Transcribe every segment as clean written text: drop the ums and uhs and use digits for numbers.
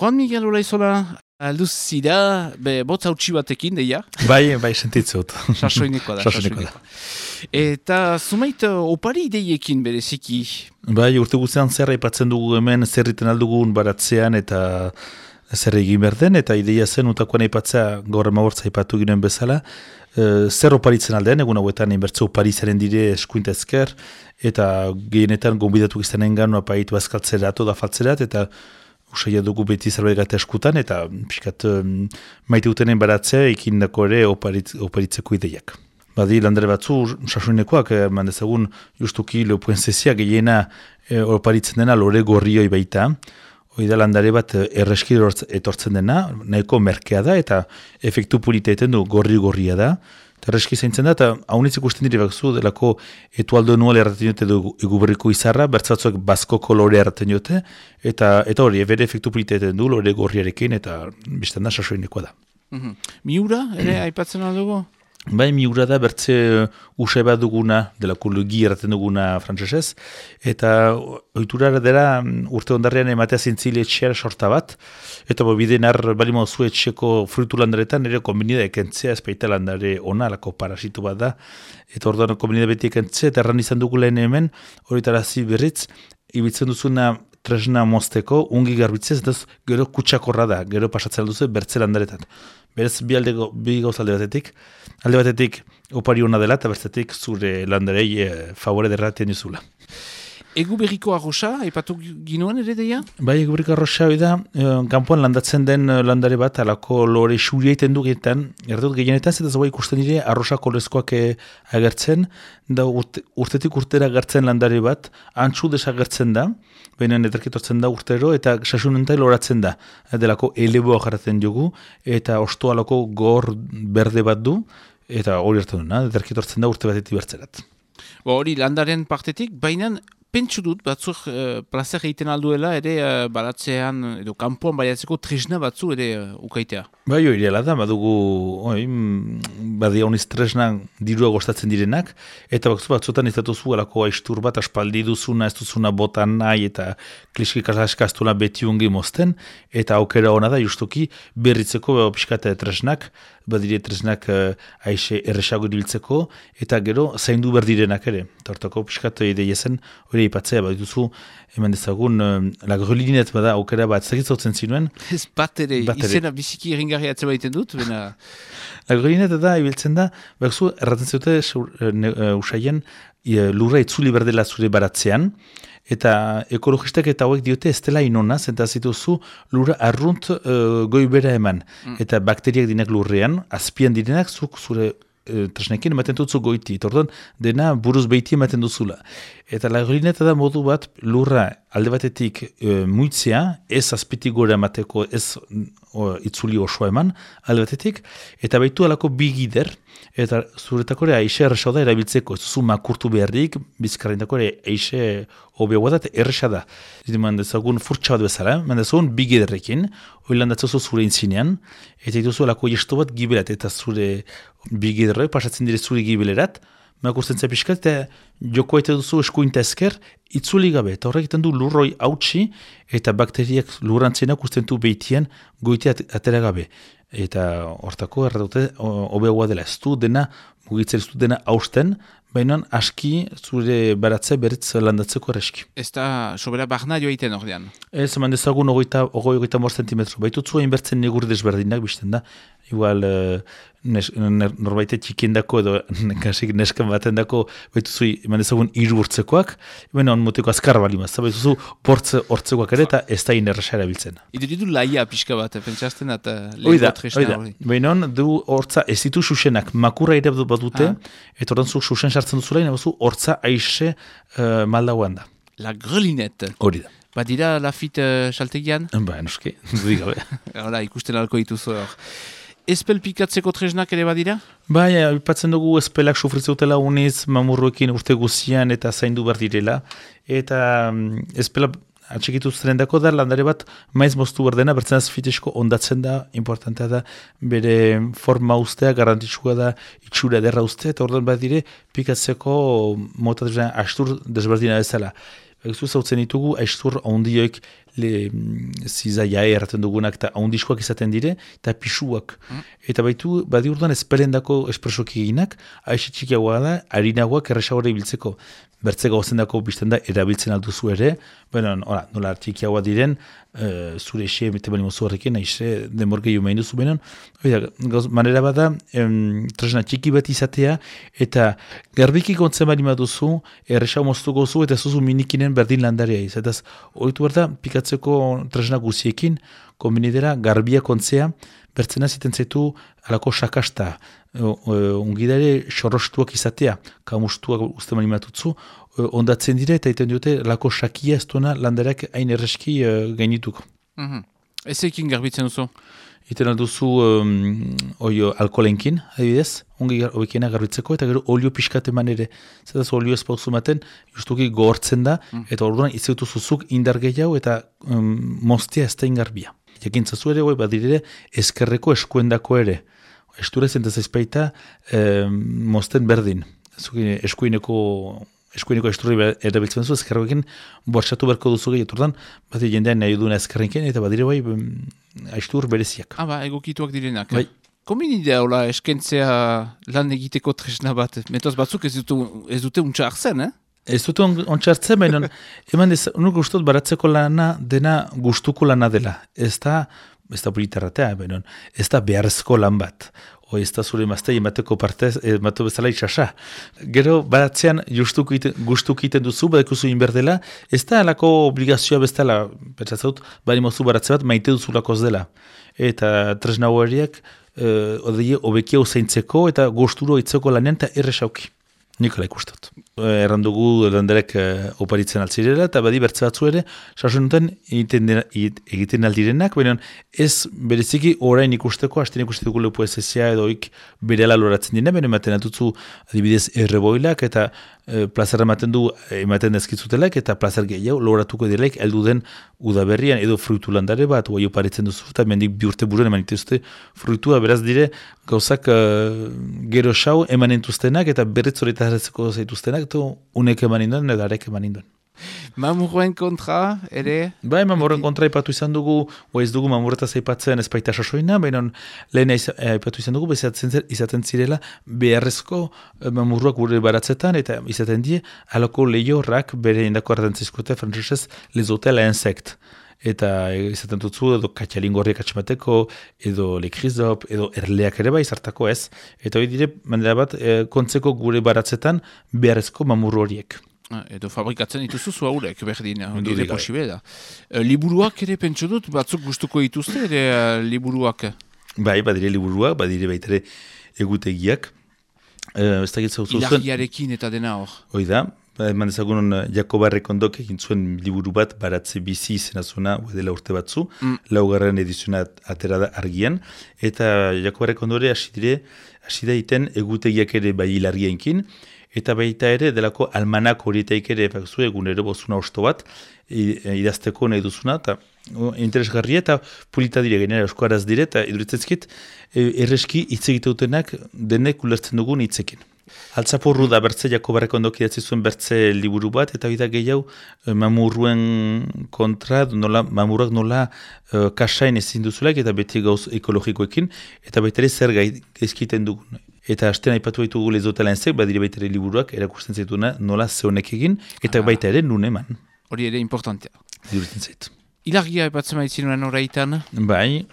Juan Miguel Olaizola, alduz zira, botz hautsi batekin, deia? Bai, sentitzut. Sasoinekoa da. Eta zumait opari ideiekin bereziki? Bai, urte guztian zer aipatzen dugu hemen, zer egiten aldugun baratzean eta zer egin behar den, eta ideia zen utakoan aipatzea gaur emabortza aipatu ginen bezala, zer oparitzen aldean, egun hauetan inbertze oparizaren dire eskuinta ezker, eta gehienetan gonbidatu izan gan apaitu azkaltzerat oda faltzerat, eta usaila dugu beti zerbait gata eskutan, eta pixkat maite utenen baratzea ikindako ere oparitzeko ideiak. Badi landare batzu, sasoinekoak, mandezagun justuki leopuenzezia gehiena oparitzen dena lore gorrioi baita, hoi da landare bat erreski etortzen dena, nahiko merkea da, eta efektu politeeten du gorria da, eta erreski zaintzen da, eta haunitz ikusten dire bakzu, delako etualdo nual erraten jote eguberriko izarra, bertzatzuak basko kolore erraten jote, eta hori, bere efektu politeeten du, lore gorriarekin, eta biztan da sasoinekoa da. Miura, ere, aipatzen aldugu? Bai, miura da bertze usai bat duguna, delako lugi erraten duguna frantzesez, eta oiturara dela urte ondarrean ematea zintzile etxeara sorta bat, eta bideen bali mozu etxeko frutu landaretan ere konbinida ekentzea, ezpeita landare ona, lako parasitu bat da, eta orduan konbinida beti ekentzea, eta erran izan dugu lehen hemen, horitarazi berriz, ibiltzen duzuna tresna mozteko, ungi garbitzez, eta gero kutsakorra da, gero pasatzen duzu bertze landaretan. Berez, bi gauz alde batetik opari hona dela, eta bertzetik zure landarei favore derratien duzula. Egu berriko arroxa, aipatu ginoen ere deia? Bai, egu berriko arroxa da, kanpoan landatzen den landare bat, alako lore xuria iten dugetan, erdut gehienetan, eta zaua ikusten dire arroxa kolezkoak agertzen, da urtetik urtera agertzen landare bat, antzu desagertzen da, baina ederketortzen da urtero, eta sasunentai loratzen da, delako eleboa jarraten dugu, eta osto alako gor berde bat du, eta hori hartzen duna, ederketortzen da urte batetik bertzerat. Hori landaren partetik, baina pentsu dut, batzuk plazer egiten alduela, ere baratzean, edo kanpoan baiatzeko tresna batzu ere ukaitea. Bai, hori dela da, badugu, badia honiz tresna dirua gostatzen direnak, eta batzutan ez datuzu alako aistur bat, aspaldi duzuna, ez duzuna botan nahi, eta kliskik askaztuna beti ungi mozten, eta aukera hona da, justuki, berritzeko pixkata tresnak, badire tresnak aixe erresago iriltzeko, eta gero zaindu berdirenak ere. Tortako pixkata ideia zen, hori ipatzea, bat duzu, eman dezagun, la grelinet bada aukera bat, zagitzautzen zinuen. Ez bat ere, izena biziki eringarri atzeba egiten dut, bena... La grelinet da, ibiltzen da, bakzu, erraten zute usaien, lurra itzuli berdela zure baratzean, eta ekologistak eta hauek diote ez dela inona, zenta zituzu lurra arrunt goibera eman. Eta bakteriak dinak lurrean, azpian direnak zuk zure tresnekin ematen dutzu goiti. Orduan, dena buruz behiti ematen duzula. Eta lagrineta da modu bat lurra alde batetik muitzea, ez azpitik gora emateko, ez itzuli osoa eman, alde batetik, eta baitu alako bigider, eta zuretako ere aixe erresa da erabiltzeko, ez zu makurtu beharrik, bizkarrindako ere aixe hobeagoa da, erresa da. Mandezagun furtsa bat bezala, mandezagun bigiderrekin, hori landatzozu zure intzinean, eta dituzu alako jesto bat gibelat, eta zure bigiderroi pasatzen dire zure gibelerat, makurtzen zapiskat, eta joko eta duzu eskuinta esker, itzuli gabe, eta horrek egiten du lurroi hautsi, eta bakteriak lurrantzenak usten du behitian goitea atera gabe. Eta hortako erratute hobeagoa dela, ez du dena, mugitzen ez du dena hausten, baina aski zure baratzea beritz landatzeko erreski. Ez da sobera barna joa iten ordean? Ez, eman dezagun 20 centimetro. Baitutzu hain bertzen negur desberdinak bizten da. Igual norbaite txikiendako edo kasik neskan baten dako baituzu eman dezagun 3 urtzekoak, baina on moteko azkar bali mazta, baituzu bortze hortzekoak ere eta ez da inerresa erabiltzen. Idu laia pixka bat, pentsazten eta lehenko tresna hori. Baina on du hortza ez ditu susenak, makurra ere bat dute, eta ordan zu susen sartzen duzula, inabazu hortza aixe maldagoan da. La grelinette. Hori da. Badira lafit saltegian? Ba, noski, dudik gabe. Hala, ikusten alko dituzu hor. Espel pikatzeko tresnak ere badira? Bai, ipatzen dugu espelak sufritzeutela uniz, mamurruekin urte guzian eta zaindu behar direla. Eta espela atxikitu zerendako da, landare bat maiz moztu behar dena, bertzen azfitesko ondatzen da, importantea da, bere forma ustea, garantitxua da, itxura ederra ustea, eta orduan bat dire, pikatzeko mota astur desberdina bezala. Zautzen ditugu, aistur ondioik zizaia erraten dugunak eta haundiskoak izaten dire, eta pisuak. Eta badi urduan ezperendako espresoki eginak, aixe txikiagoa da, harinagoak erresagoa ibiltzeko. Bertze gauzendako bizten da, erabiltzen alduzu ere, nola txikiagoa diren, zure ese emete bali mozu horrekin, aixe demorgei umein duzu benon. Manera bada, tresna txiki bat izatea, eta garbiki kontzen bali maduzu, erresau moztuko zu, eta zuzu minikinen berdin landarea iz. Eta horitu behar da, pikatzeko tresna guziekin, kombinidera garbia kontzea, bertzena ziten zaitu alako sakasta, ungidare xorrostuak izatea, kamustuak uste manimatutzu, ondatzen dire eta iten dute lako sakia ez duena landarak hain erreski gainituko. Ezekin garbitzen duzu? Iten alduzu alkoholenkin, adibidez, ongi hobekiena garbitzeko, eta gero olio pixkat eman ere. Zetaz olio ez pauzu maten, justuki gogortzen da, eta orduan izautu zuzuk indar gehiago eta moztea ez da ingarbia. Jakintzazu ere, badirere, ezkerreko eskuendako ere. Esture zentaz ezpaita mozten berdin. Eskuineko esturri erabiltzen zu, ezkerrekin bortxatu berko duzu gehiago. Turdan, bat jendean nahi duna ezkerrekin, eta badire aistur bereziak. Egokituak direnak. Bai. Komin idea hola eskentzea lan egiteko tresna bat? Metoz batzuk ez dute untsa hartzen, Ez dute ontsa baina eman nuk gustot baratzeko lana dena gustuko lana dela. Ez da politarratea, baina ez da beharrezko lan bat. Ez da zure maztei emateko partez, ematu bezala itxasa. Gero baratzean gustuko iten duzu, badekuzu inberdela, ez da alako obligazioa bezala, pentsatzut, bari mozu baratze bat maite duzulakoz dela. Eta tresna horiek, obekia usaintzeko eta gusturo itzeko lanean eta erresauki. Nikola ikustot. Errandugu landarek oparitzen altzirela, eta badi bertze batzu ere, sasun duten egiten aldirenak, baina ez bereziki orain ikusteko, hasten ikustetuko lepo ezezia edoik berela loratzen dira, baina ematen atutzu adibidez erreboilak, eta plazera ematen dezkitzutelak, eta plazer gehiago loratuko direlaik, eldu den udaberrian edo fruitu landare bat, oai oparitzen duzu, eta mendik bi urte buruan eman ituzte fruitua, beraz dire, gauzak gero xau eman entuztenak, eta berriz horretarazeko zaituztenak, eta unek eman induen, edo arek eman induen. Mamurren kontra, ere? Bai, mamurren kontra ipatu izan dugu, ez dugu mamurretaz aipatzen ez baita sasoina, baina lehen aipatu izan dugu, izaten zirela beharrezko mamurruak gure baratzetan, eta izaten die, alako lehiorrak bere indako ardantzizkote, frantzesez, les hôtels à insectes. Eta izaten dutzu, edo katxalingorriak atxemateko, edo lekrizop, edo erleak ere bai, zartako ez. Eta hori dire, manera bat, kontzeko gure baratzetan beharrezko mamurru horiek. Edo fabrikatzen dituzu zu haurek, berdin, dire posible da. Liburuak ere pentsu dut, batzuk gustuko dituzte, ere liburuak? Bai, badire liburuak, badire baitere egutegiak. Ilagiarekin eta dena hor. Hoi da, eman dezagun Jakoba Errekondok egin zuen liburu bat baratze bizi izena zuena dela urte batzu, laugarren ediziona atera da argian, eta Jakoba Errekondore hasi da iten egutegiak ere bai hilargienkin, eta baita ere delako almanak horietaik ere bakzu egunero bozuna osto bat idazteko nahi duzuna, eta interesgarria eta pulita dire, genera euskaraz dire, eta iduritzezkit erreski hitz egiteutenak denek ulertzen dugun hitzekin. Altzaporru da bertze Jakoba Errekondok idatzi zuen bertze liburu bat, eta bida gehiago mamurruen kontra, mamurrak nola kasain ezin duzulak, eta beti gauz ekologikoekin, eta baita ere zer gaizkiten dugun. Eta hasten aipatu baitugu les hôtels à insectes, badire baita ere liburuak erakusten zaituna nola zehonek egin, eta baita ere nun eman. Hori ere importantea. Iduritzen zait. Ilargia epatzen maizinuan horreitan? Bai,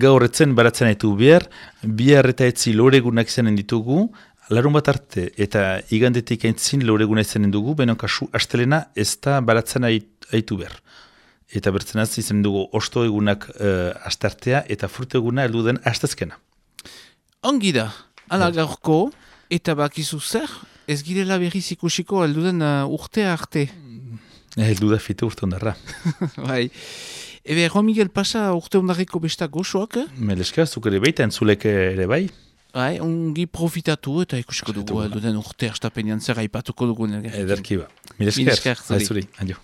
gaurretzen baratzen haitu bihar eta etzi loregunak izanen ditugu, larun bat arte eta igandetik aintzin loreguna izanen dugu, baina kasu astelena ez da baratzen haitu behar. Eta bertzenaz izanen dugu osto egunak astartea eta frutu eguna heldu den astezkena. Ongi da, ala gaurko, eta bakizu zer, ez girela berriz ikusiko helduden urtea arte. Heldu da fite urte ondarra. Bai. Ebe, Juan Miguel pasa urte ondarriko besta goxoak? Meleska, zuk ere baita, entzulek ere bai. Bai, ongi profitatu eta ikusiko dugu helduden urte astapenean zer aipatuko dugu. Ederki ba. Meleska, aizuri, adio.